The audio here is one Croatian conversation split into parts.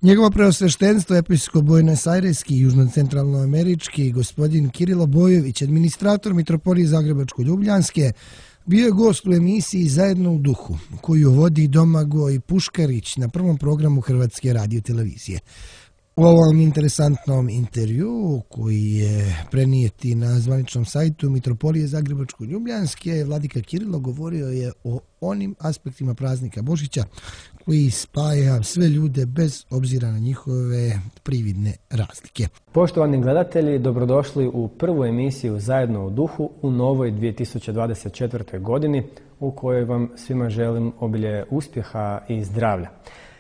Njegovo preosveštenstvo episkop Buenos-Aireski i južno-centralnoamerički gospodin Kirilo Bojović, administrator Mitropolije Zagrebačko-Ljubljanske, bio je gost u emisiji Zajedno u duhu, koju vodi Domagoj Puškarić na prvom programu Hrvatske radiotelevizije. U ovom interesantnom intervjuu, koji je prenijeti na zvaničnom sajtu Mitropolije Zagrebačko-Ljubljanske, vladika Kirilo govorio je o onim aspektima praznika Božića koji spaja sve ljude bez obzira na njihove prividne razlike. Poštovani gledatelji, dobrodošli u prvu emisiju Zajedno u duhu u novoj 2024. godini u kojoj vam svima želim obilje uspjeha i zdravlja.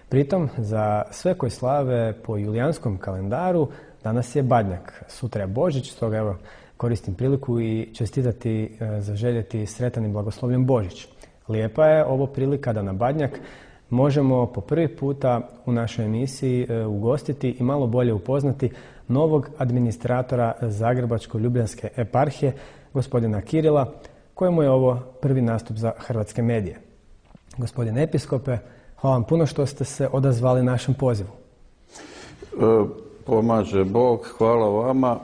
Pritom, za sve koji slave po julijanskom kalendaru, danas je Badnjak, sutra je Božić, stoga evo koristim priliku i čestitati, zaželjeti sretan i blagoslovljen Božić. Lijepa je ovo prilika da na Badnjak možemo po prvi puta u našoj emisiji ugostiti i malo bolje upoznati novog administratora Zagrebačko-Ljubljanske eparhije, gospodina Kirila, kojemu je ovo prvi nastup za hrvatske medije. Gospodine episkope, hvala vam puno što ste se odazvali našem pozivu. Pomaže Bog, hvala vama.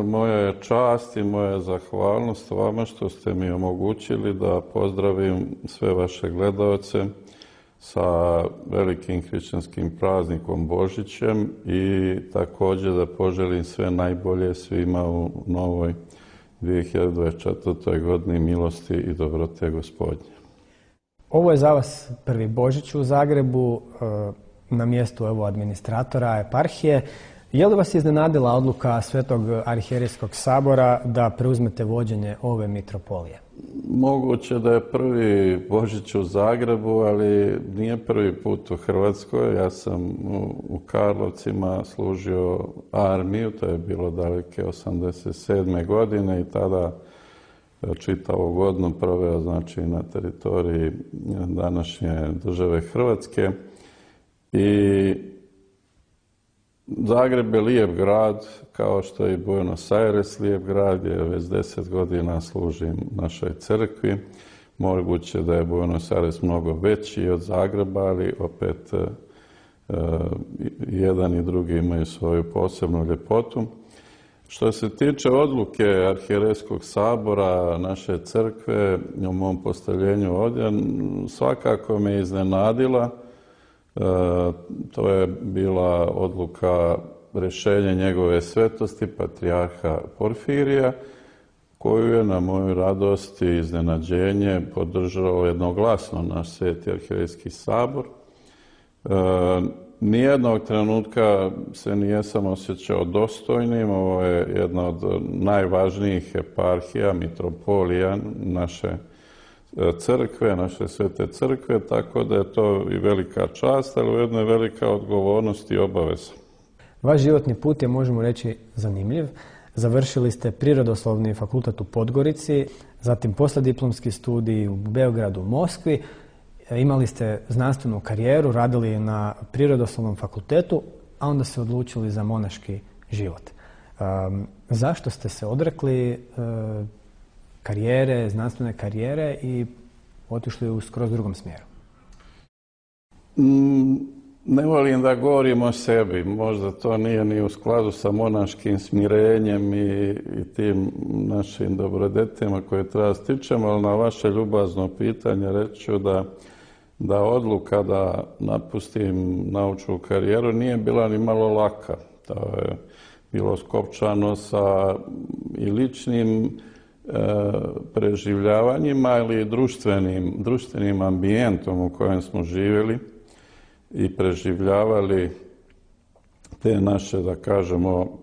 Moja je čast i moja je zahvalnost vama što ste mi omogućili da pozdravim sve vaše gledaoce sa velikim hrišćanskim praznikom Božićem i također da poželim sve najbolje svima u novoj 2024. godini milosti i dobrote Gospodnje. Ovo je za vas prvi Božić u Zagrebu, na mjestu administratora eparhije. Je li vas iznenadila odluka Svetog arhijerejskog sabora da preuzmete vođenje ove mitropolije? Moguće da je prvi Božić u Zagrebu, ali nije prvi put u Hrvatskoj. Ja sam u Karlovcima služio armiju, to je bilo daleke 87. godine i tada čitavu godinu proveo na teritoriji današnje države Hrvatske. I Zagreb je lijep grad, kao što je i Buenos Aires lijep grad, jer već 10 godina služim našoj crkvi. Moguće da je Buenos Aires mnogo veći od Zagreba, ali opet jedan i drugi imaju svoju posebnu ljepotu. Što se tiče odluke Arhijerejskog sabora naše crkve u mom postavljenju ovdje, svakako me iznenadila. To je bila odluka, rješenje njegove svetosti, patrijarha Porfirija, koju je na moju radost i iznenađenje podržao jednoglasno naš Sveti Arhijerejski sabor. Nijednog trenutka se nijesam osjećao dostojnim. Ovo je jedna od najvažnijih eparhija, mitropolija naše crkve, naše svete crkve, tako da je to i velika čast, ali ujedno je velika odgovornost i obaveza. Vaš životni put je, možemo reći, zanimljiv. Završili ste Prirodoslovni fakultet u Podgorici, zatim poslijediplomski studij u Beogradu, Moskvi. Imali ste znanstvenu karijeru, radili na Prirodoslovnom fakultetu, a onda se odlučili za monaški život. Zašto ste se odrekli karijere, znanstvene karijere i otišli u skroz drugom smjeru? Ne volim da govorim o sebi. Možda to nije ni u skladu sa monaškim smirenjem i tim našim dobrodetima koje treba stičemo, ali na vaše ljubazno pitanje reći ću da odluka da napustim naučnu karijeru nije bila ni malo laka. To je bilo skopčano sa i ličnim preživljavanjima ili društvenim ambijentom u kojem smo živjeli i preživljavali te naše, da kažemo,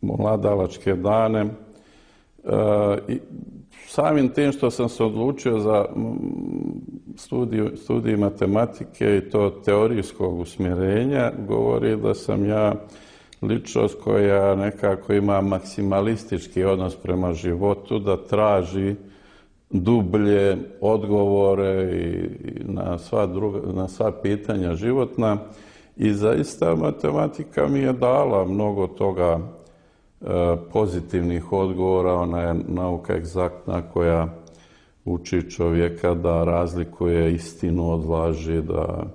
mladalačke dane. I samim tim što sam se odlučio za studij matematike i to teorijskog usmjerenja, govori da sam ja ličnost koja nekako ima maksimalistički odnos prema životu, da traži dublje odgovore i na sva pitanja životna. I zaista matematika mi je dala mnogo toga pozitivnih odgovora. Ona je nauka egzaktna koja uči čovjeka da razlikuje istinu od laži, da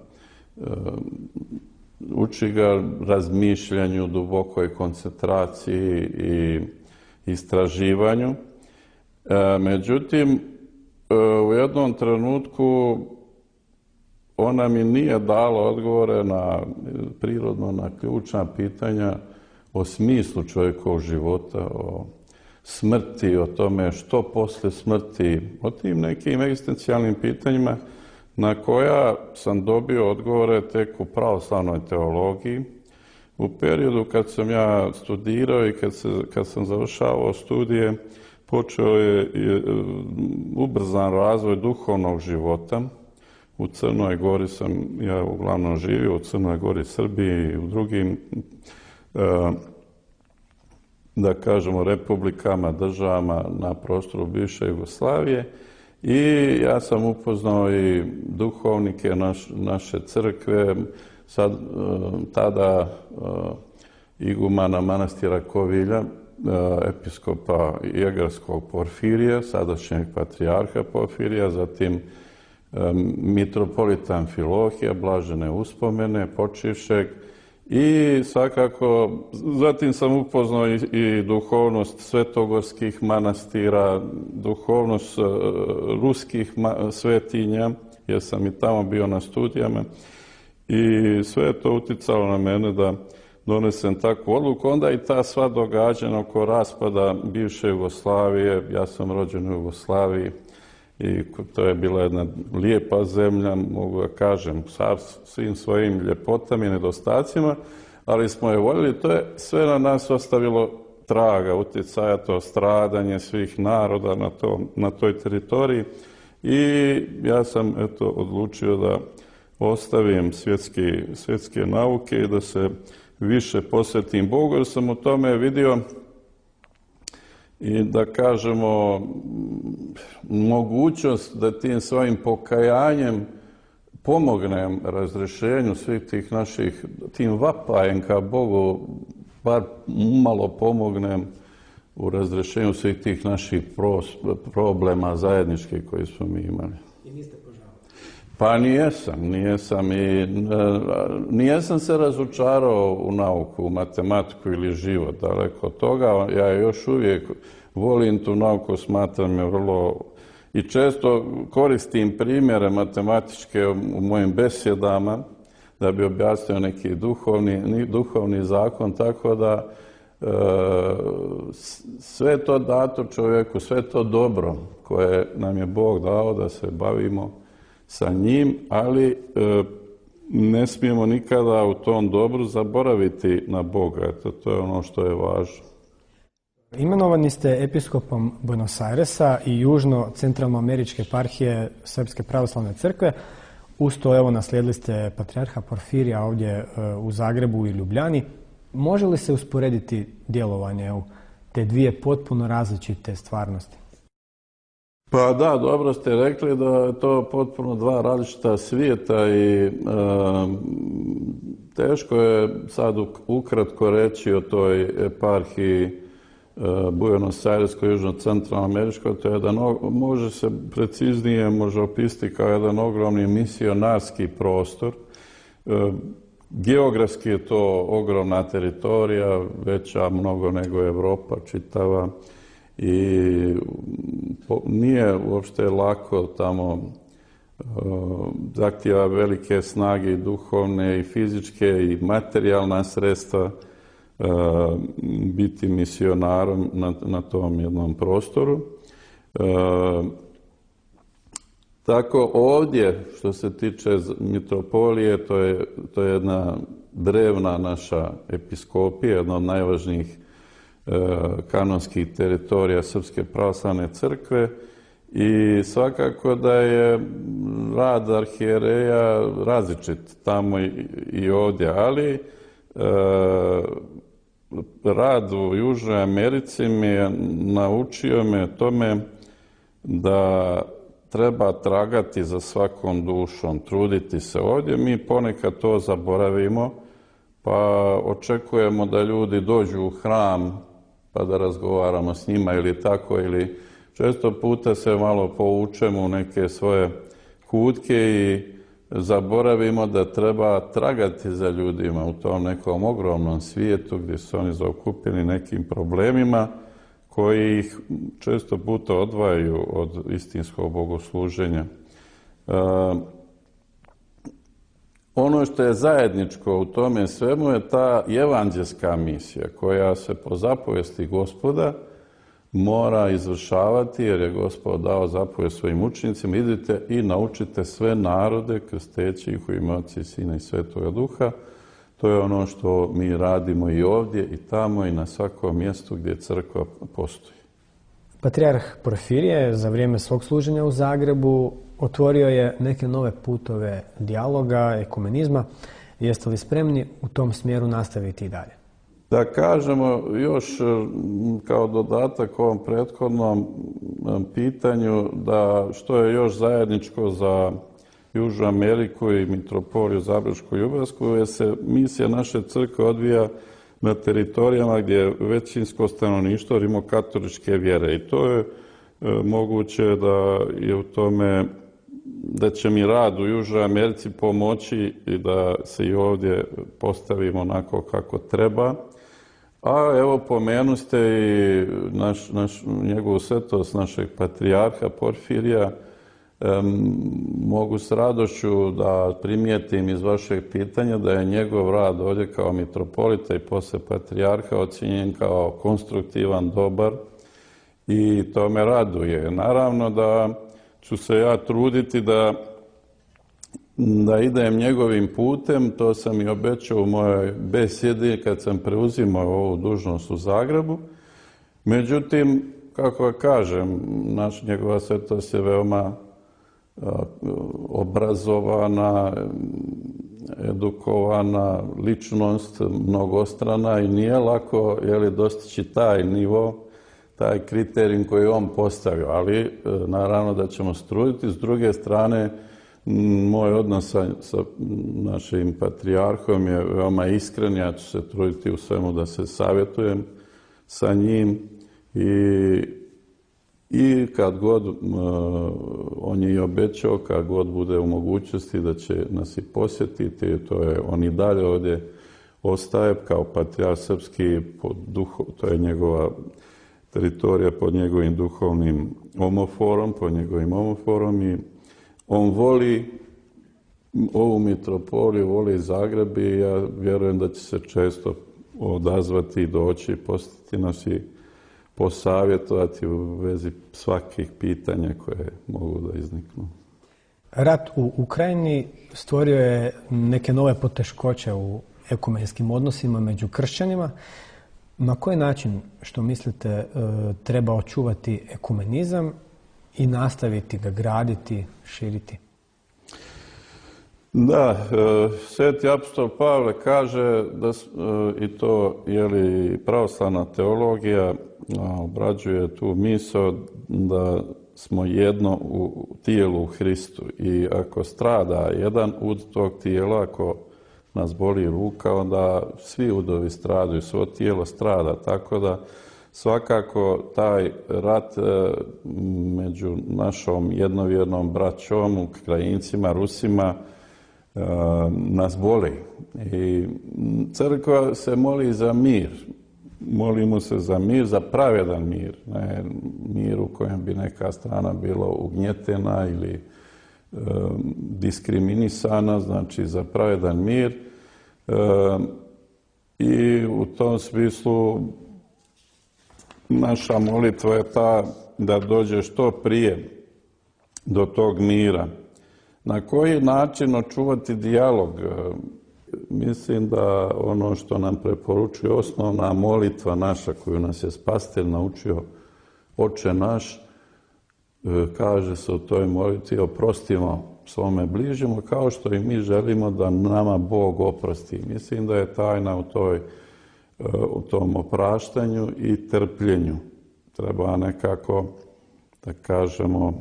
uči ga razmišljanju, dubokoj koncentraciji i istraživanju. Međutim, u jednom trenutku ona mi nije dala odgovore prirodno na ključna pitanja o smislu čovjekovog života, o smrti, o tome što poslije smrti, o tim nekim egzistencijalnim pitanjima na koja sam dobio odgovore tek u pravoslavnoj teologiji. U periodu kad sam ja studirao i kad sam završavao studije, počeo je ubrzan razvoj duhovnog života. U Crnoj Gori sam ja uglavnom živio, u Crnoj Gori, Srbiji i u drugim, da kažemo, republikama, državama na prostoru bivše Jugoslavije. I ja sam upoznao i duhovnike naše crkve, tada igumana manastira Kovilja, episkopa Jegarskog Porfirija, sadašnjeg patrijarha Porfirija, zatim mitropolita Amfilohija, blažene uspomene, počivšeg, i svakako zatim sam upoznao i duhovnost svetogorskih manastira, duhovnost ruskih svetinja, jer sam i tamo bio na studijama, i sve je to uticalo na mene da donesem takvu odluku. Onda i ta sva događanja oko raspada bivše Jugoslavije, ja sam rođen u Jugoslaviji i to je bila jedna lijepa zemlja, mogu da kažem, sa svim svojim ljepotama i nedostacima, ali smo je voljeli. To je sve na nas ostavilo traga, utjecaja, to stradanje svih naroda na toj teritoriji, i ja sam odlučio da ostavim svjetske nauke i da se više posvetim Bogu, jer sam u tome vidio i, da kažemo, mogućnost da tim svojim pokajanjem pomognem razrješenju svih tih naših, tim vapajem ka Bogu, bar malo pomognem u razrješenju svih tih naših problema zajedničkih koji smo mi imali. I niste požalili? Pa nijesam i nijesam se razočarao u nauku, u matematiku ili život, daleko od toga. Ja još uvijek volim tu nauku, smatram je vrlo, i često koristim primjere matematičke u mojim besjedama da bi objasnio neki duhovni zakon, tako da sve to dato čovjeku, sve to dobro koje nam je Bog dao da se bavimo sa njim, ali ne smijemo nikada u tom dobru zaboraviti na Boga. Eto, to je ono što je važno. Imenovani ste episkopom Buenos Airesa i južno-centralnoameričke eparhije Srpske pravoslavne crkve. Uz to, evo, naslijedili ste patrijarha Porfirija ovdje u Zagrebu i Ljubljani. Može li se usporediti djelovanje u te dvije potpuno različite stvarnosti? Pa da, dobro ste rekli da je to potpuno dva različita svijeta i teško je sad ukratko reći o toj eparhiji Buenos Aireskoj, južno-centralnoameričkoj. To je jedan, može se preciznije opisati kao jedan ogromni misionarski prostor. Geografski je to ogromna teritorija, veća mnogo nego Europa čitava, i nije uopšte lako tamo, zahtijeva velike snage i duhovne i fizičke i materijalna sredstva biti misionarom na tom jednom prostoru. Tako ovdje, što se tiče mitropolije, to je jedna drevna naša episkopija, jedna od najvažnijih kanonskih teritorija Srpske pravoslavne crkve, i svakako da je rad arhijereja različit tamo i ovdje, ali rad u Južnoj Americi naučio me tome da treba tragati za svakom dušom, truditi se. Ovdje mi ponekad to zaboravimo, pa očekujemo da ljudi dođu u hram pa da razgovaramo s njima ili tako, ili često puta se malo povučemo u neke svoje kutke i zaboravimo da treba tragati za ljudima u tom nekom ogromnom svijetu gdje su oni zaokupljeni nekim problemima koji ih često puta odvajaju od istinskog bogosluženja. Ono što je zajedničko u tome svemu je ta evanđelska misija koja se po zapovesti Gospoda mora izvršavati, jer je Gospod dao zapovijest svojim učenicima: idite i naučite sve narode krsteći ih u ime Oca i Sina i Svetoga Duha. To je ono što mi radimo i ovdje i tamo i na svakom mjestu gdje crkva postoji. Patrijarh Porfirije za vrijeme svog služenja u Zagrebu otvorio je neke nove putove dijaloga, ekumenizma. Jeste li spremni u tom smjeru nastaviti i dalje? Da kažemo još kao dodatak ovom prethodnom pitanju, da što je još zajedničko za Južnu Ameriku i mitropoliju Zagrebačko-ljubljansku, jer se misija naše crkve odvija na teritorijama gdje je većinsko stanovništvo rimokatoličke vjere. I to je moguće da je u tome, da će mi rad u Južnoj Americi pomoći i da se i ovdje postavimo onako kako treba. A evo, pomenuste i njegovu svetost našeg patrijarha Porfirija. Mogu s radošću da primijetim iz vašeg pitanja da je njegov rad ovdje kao mitropolita i poslije patrijarha ocijenjen kao konstruktivan, dobar, i to me raduje. Naravno da ću se ja truditi da idem njegovim putem. To sam i obećao u mojoj besjedi kad sam preuzimao ovu dužnost u Zagrebu. Međutim, kako kažem, njegova svetost je veoma obrazovana, edukovana ličnost, mnogostrana, i nije lako dostići taj nivo, taj kriterijum koji je on postavio, ali naravno da ćemo se truditi. S druge strane, moj odnos sa našim patrijarhom je veoma iskren. Ja ću se truditi u svemu da se savjetujem sa njim i kad god, on je i obećao, kad god bude u mogućnosti da će nas i posjetiti. On i dalje ovdje ostaje kao patrijarh srpski, to je njegova teritorija pod njegovim duhovnim omoforom, i on voli ovu mitropoliju, voli Zagreb, i ja vjerujem da će se često odazvati i doći, posjetiti nas i posavjetovati u vezi svakih pitanja koje mogu da izniknu. Rat u Ukrajini stvorio je neke nove poteškoće u ekumenskim odnosima među kršćanima. Na koji način, što mislite, treba očuvati ekumenizam i nastaviti ga graditi, širiti? Da, sveti apostol Pavle kaže da, i to pravoslavna teologija obrađuje tu misao, da smo jedno u tijelu u Hristu, i ako strada jedan ud tog tijela, ako nas boli ruka, onda svi udovi stradaju, svo tijelo strada. Tako da svakako taj rat među našom jednovjernom braćom, Ukrajincima, Rusima, nas boli. I crkva se moli za mir. Molimo se za mir, za pravedan mir. Ne mir u kojem bi neka strana bila ugnjetena ili diskriminisana, znači za pravedan mir. I u tom smislu naša molitva je ta da dođe što prije do tog mira. Na koji način očuvati dijalog? Mislim da ono što nam preporučuje osnovna molitva naša, koju nas je Spasitelj naučio, Oče naš, kaže se u toj molitvi: oprostimo svome bližnjemu kao što i mi želimo da nama Bog oprosti. Mislim da je tajna u tom opraštanju i trpljenju. Treba nekako, da kažemo,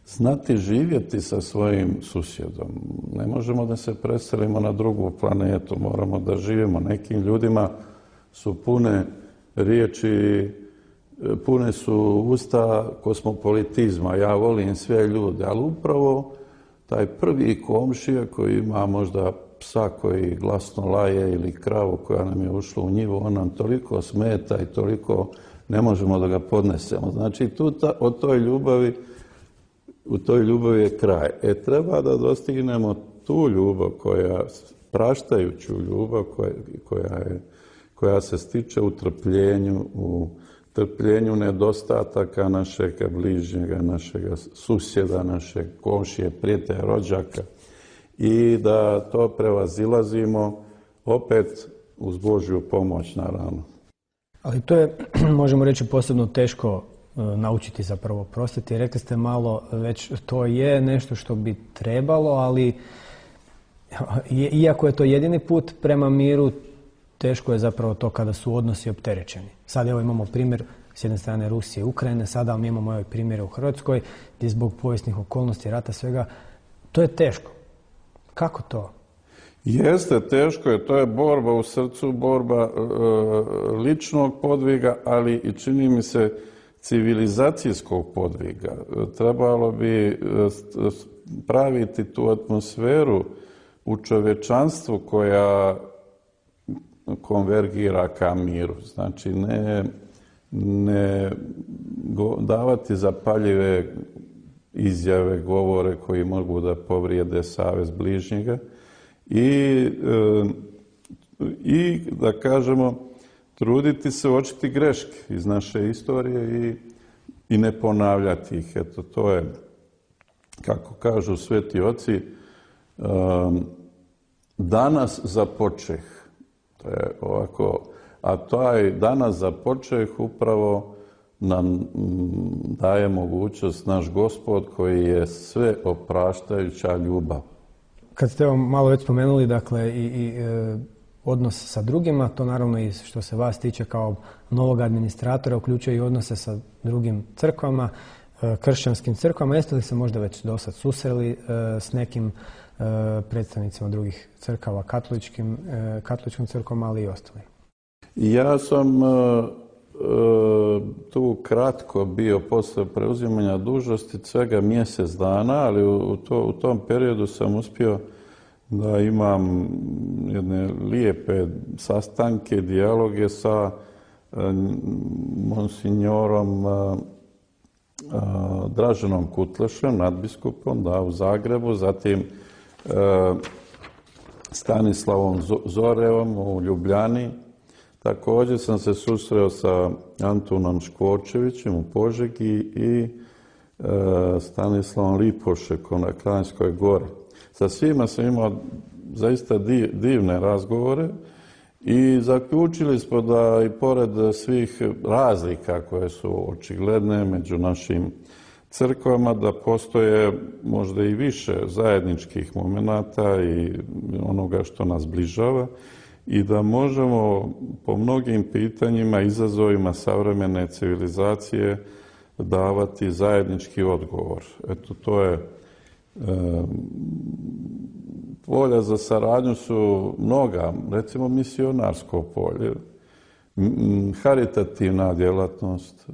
znati živjeti sa svojim susjedom. Ne možemo da se preselimo na drugu planetu, moramo da živimo. Nekim ljudima su pune riječi, pune su usta kosmopolitizma. Ja volim sve ljude, ali upravo taj prvi komšija koji ima možda psa koji glasno laje ili kravu koja nam je ušla u njivu, on nam toliko smeta i toliko ne možemo da ga podnesemo. Znači, u toj ljubavi je kraj. Treba da dostignemo tu ljubav, praštajuću ljubav koja se stiče u trpljenju nedostataka našeg bližnjega, našeg susjeda, našeg komšije, prijatelja, rođaka i da to prevazilazimo opet uz Božju pomoć, naravno. Ali to je, možemo reći, posebno teško naučiti zapravo oprostiti. Rekli ste malo već, to je nešto što bi trebalo, ali iako je to jedini put prema miru, teško je zapravo to kada su odnosi opterećeni. Sad evo imamo primjer s jedne strane Rusije i Ukrajine, sada mi imamo ovaj primjer u Hrvatskoj gdje zbog povijesnih okolnosti, rata, svega, to je teško. Kako to? Jeste, teško je. To je borba u srcu, borba ličnog podviga, ali i čini mi se civilizacijskog podviga. Trebalo bi praviti tu atmosferu u čovječanstvu koja konvergira ka miru. Znači, ne davati zapaljive izjave, govore koji mogu da povrijede savez bližnjega i da kažemo, truditi se uočiti greške iz naše istorije i ne ponavljati ih. Eto, to je, kako kažu sveti oci, danas započeh. To je ovako, a taj danas započeh upravo nam daje mogućnost naš Gospod koji je sve opraštajuća ljubav. Kad ste vam malo već spomenuli, dakle, i odnos sa drugima, to naravno i što se vas tiče kao novog administratora uključuje i odnose sa drugim crkvama, kršćanskim crkvama. Jeste li se možda već do sad susreli s nekim predstavnicima drugih crkava, katoličkim crkvom, ali i ostalim? Ja sam tu kratko bio posle preuzimanja dužnosti, svega mjesec dana, ali u tom periodu sam uspio da imam jedne lijepe sastanke, dijaloge sa monsignorom Draženom Kutlešem, nadbiskupom, u Zagrebu, zatim Stanislavom Zorevom u Ljubljani. Također sam se susreo sa Antunom Škvorčevićem u Požegi i Stanislavom Lipošekom na Kranjskoj gori. Sa svima sam imao zaista divne razgovore i zaključili smo da i pored svih razlika koje su očigledne među našim crkvama, da postoje možda i više zajedničkih momenata i onoga što nas bližava i da možemo po mnogim pitanjima, izazovima savremene civilizacije davati zajednički odgovor. Eto, to je polja za saradnju su mnoga, recimo misionarsko polje, haritativna djelatnost,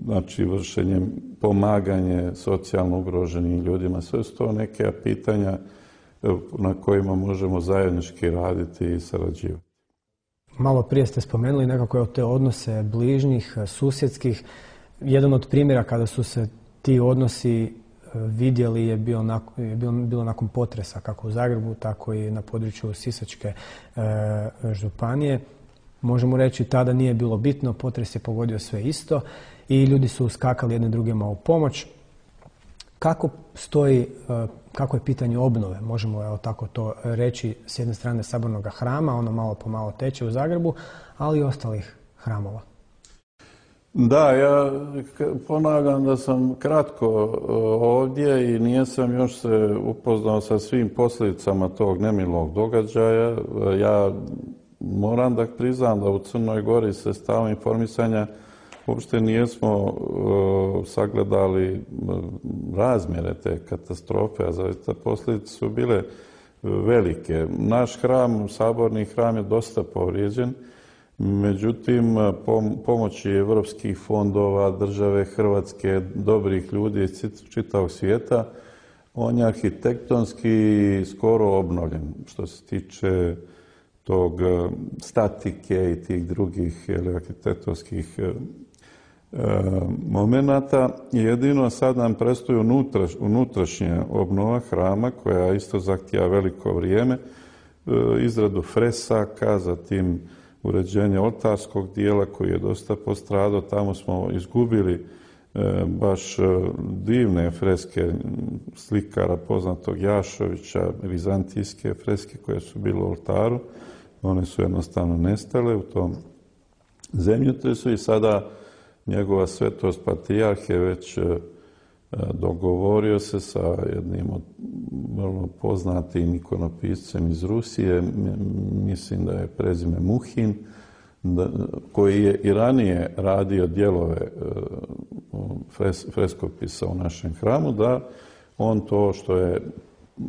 znači vršenje, pomaganje socijalno ugroženim ljudima. Sve su to neke pitanja na kojima možemo zajednički raditi i sarađivati. Malo prije ste spomenuli nekako te odnose bližnjih, susjedskih. Jedan od primjera kada su se ti odnosi vidjeli je bilo nakon potresa, kako u Zagrebu, tako i na području Sisačke županije. Možemo reći, tada nije bilo bitno, potres je pogodio sve isto i ljudi su uskakali jedni drugima u pomoć. Kako je pitanje obnove, možemo evo tako to reći, s jedne strane Sabornog hrama, ono malo po malo teče u Zagrebu, ali i ostalih hramova? Da, ja ponavljam da sam kratko ovdje i nisam još se upoznao sa svim posljedicama tog nemilog događaja. Ja moram da priznam da u Crnoj Gori se stalno informisanja uopšte nijesmo sagledali razmjere te katastrofe, a zaista posljedice su bile velike. Naš hram, saborni hram je dosta povrijeđen, međutim pomoći evropskih fondova, države Hrvatske, dobrih ljudi iz čitavog svijeta, on je arhitektonski skoro obnovljen. Što se tiče tog statike i tih drugih arhitektonskih momenata. Jedino sad nam predstoji unutrašnja obnova hrama koja isto zahtijeva veliko vrijeme, izradu fresaka, zatim uređenje oltarskog dijela koji je dosta postradao. Tamo smo izgubili baš divne freske slikara poznatog Jašovića, vizantijske freske koje su bile u oltaru. One su jednostavno nestale u tom zemljotresu i sada njegova svetost patrijarh je već dogovorio se sa jednim od vrlo poznatim ikonopiscem iz Rusije, mislim da je prezime Muhin, koji je i ranije radio dijelove freskopisa u našem hramu, da on to što je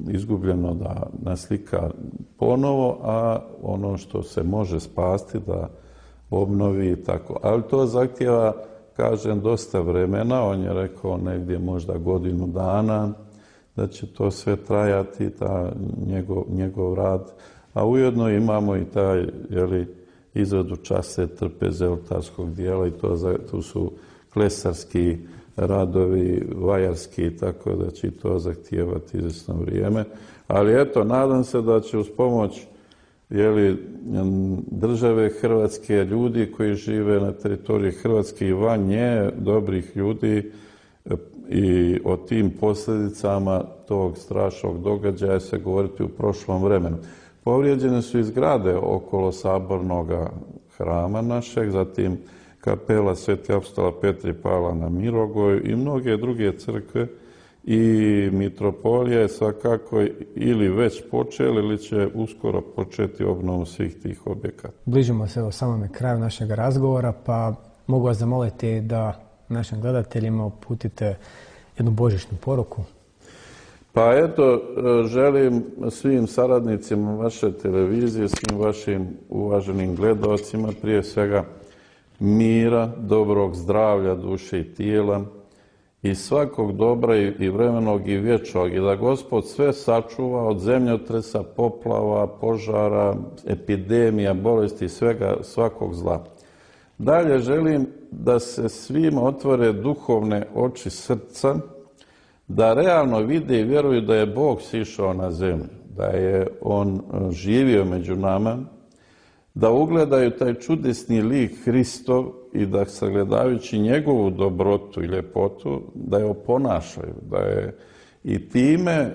izgubljeno da naslika ponovo, a ono što se može spasti da obnovi i tako. Ali to zahtijeva, kažem, dosta vremena. On je rekao negdje možda godinu dana da će to sve trajati, njegov rad. A ujedno imamo i taj izradu čase trpeze oltarskog dijela i tu su klesarski radovi, vajarski, tako da će to zahtijevati izvjesno vrijeme. Ali eto, nadam se da će uz pomoć države Hrvatske, ljudi koji žive na teritoriji Hrvatske i van nje, dobrih ljudi, i o tim posljedicama tog strašnog događaja se govoriti u prošlom vremenu. Povrijeđene su i zgrade okolo sabornog hrama našeg, zatim kapela Sveti apostola Petra i Pavla na Mirogoju i mnoge druge crkve, i mitropolija je svakako ili već počela ili će uskoro početi obnovu svih tih objekata. Bližimo se o samome kraju našeg razgovora, pa mogu vas zamoliti da našim gledateljima uputite jednu božićnu poruku. Pa eto, želim svim saradnicima vaše televizije, svim vašim uvaženim gledaocima prije svega mira, dobrog zdravlja duše i tijela i svakog dobra i vremenog i vječnog, i da Gospod sve sačuva od zemljotresa, poplava, požara, epidemija, bolesti i svakog zla. Dalje želim da se svima otvore duhovne oči srca, da realno vide i vjeruju da je Bog sišao na zemlju, da je On živio među nama, da ugledaju taj čudesni lik Hristov i da sagledavajući njegovu dobrotu i ljepotu, da je oponašaju, da je i time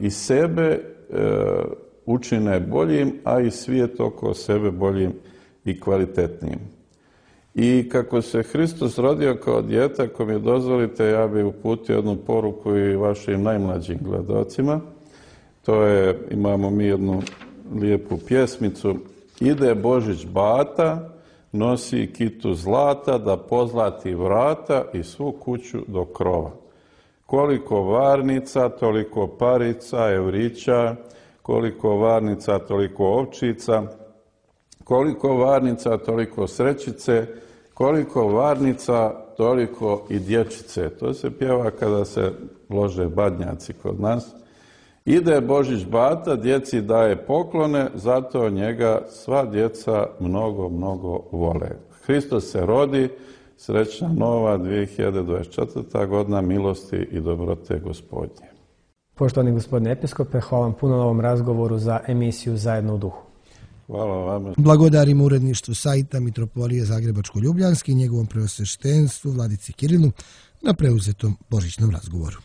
i sebe učine boljim, a i svijet oko sebe boljim i kvalitetnijim. I kako se Hristos rodio kao dijete, ako mi dozvolite, ja bih uputio jednu poruku i vašim najmlađim gledocima. To je, imamo mi jednu lijepu pjesmicu. Ide Božić bata, nosi kitu zlata, da pozlati vrata i svu kuću do krova. Koliko varnica, toliko parica, evrića, koliko varnica, toliko ovčica, koliko varnica, toliko srećice, koliko varnica, toliko i dječice. To se pjeva kada se lože badnjaci kod nas. Ide Božić bata, djeci daje poklone, zato njega sva djeca mnogo, mnogo vole. Hristos se rodi, srećna nova 2024. godina milosti i dobrote Gospodnje. Poštovani gospodine episkope, hvala vam puno na ovom razgovoru za emisiju Zajedno u duhu. Hvala vam. Blagodarimo uredništvu sajta Mitropolije Zagrebačko-Ljubljanski i njegovom preosveštenstvu Vladici Kirilu na preuzetom božićnom razgovoru.